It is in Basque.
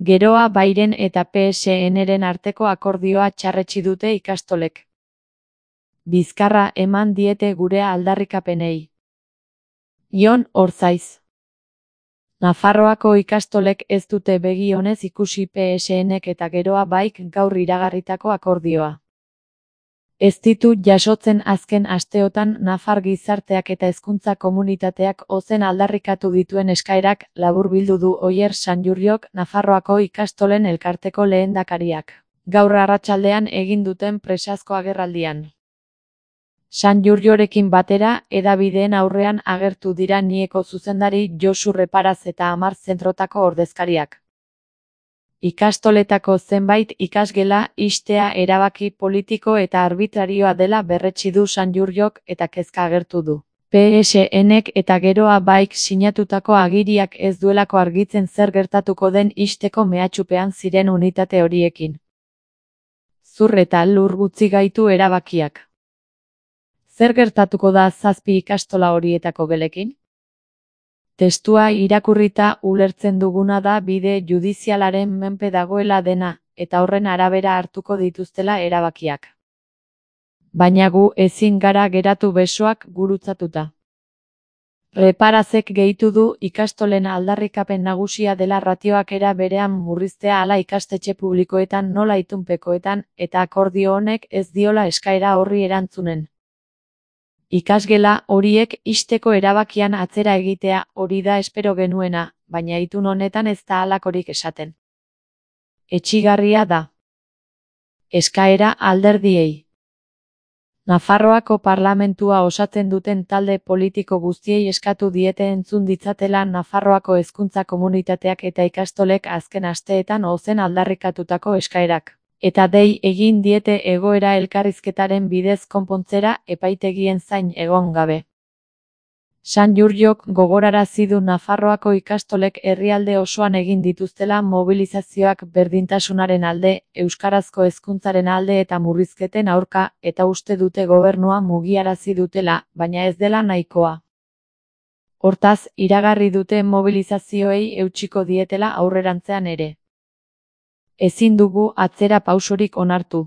Geroa Bairen eta PSN-ren arteko akordioa txarretsi dute ikastolek. Bizkarra eman diete gure aldarrikapenei. Jon Orzaiz. Nafarroako ikastolek ez dute begi onez ikusi PSN-ek eta Geroa Baik gaur iragarritako akordioa. Ez ditu jasotzen azken asteotan Nafar gizarteak eta hezkuntza komunitateak ozen aldarrikatu dituen eskaerak, laburbildu du Oier Sanjurriok, Nafarroako ikastolen elkarteko lehendakariak, gaur arratsaldean egin duten presazko agerraldian. Sanjurriorekin batera, hedabideen aurrean agertu dira Nieko zuzendari Josu Reparaz eta 10 zentrotako ordezkariak. Ikastoletako zenbait ikasgela ixtea erabaki politiko eta arbitrarioa dela berretsi du Sanjurriok eta kezka agertu du. PSN-ek eta Geroa Baik sinatutako agiriak ez duelako argitzen zer gertatuko den ixteko mehatxupean ziren unitate horiekin. Zur eta lur gutzi gaitu erabakiak. Zer gertatuko da 7 ikastola horietako gelekin? Testua irakurrita ulertzen duguna da bide judizialaren menpe dagoela dena, eta horren arabera hartuko dituztela erabakiak. Baina gu ezin gara geratu besoak gurutzatuta. Reparazek gehitu du ikastolen aldarrikapen nagusia dela ratioak era berean murriztea hala ikastetxe publikoetan nola itunpekoetan, eta akordio honek ez diola eskaera horri erantzunen. Ikasgela horiek ixteko erabakian atzera egitea hori da espero genuena, baina itun honetan ez da halakorik esaten. Etsigarria da. Eskaera alderdiei. Nafarroako parlamentua osatzen duten talde politiko guztiei eskatu diete entzun ditzatela Nafarroako hezkuntza komunitateak eta ikastolek azken asteetan ozen aldarrikatutako eskaerak. Eta dei egin diete egoera elkarrizketaren bidez konpontzera epaitegien zain egon gabe. Sanjurriok gogorarazi du Nafarroako ikastolek herrialde osoan egin dituztela mobilizazioak berdintasunaren alde, euskarazko hezkuntzaren alde eta murrizketen aurka, eta uste dute gobernua mugiarazi dutela, baina ez dela nahikoa. Hortaz, iragarri dute mobilizazioei eutsiko dietela aurrerantzean ere. Ezin dugu atzera pausorik onartu.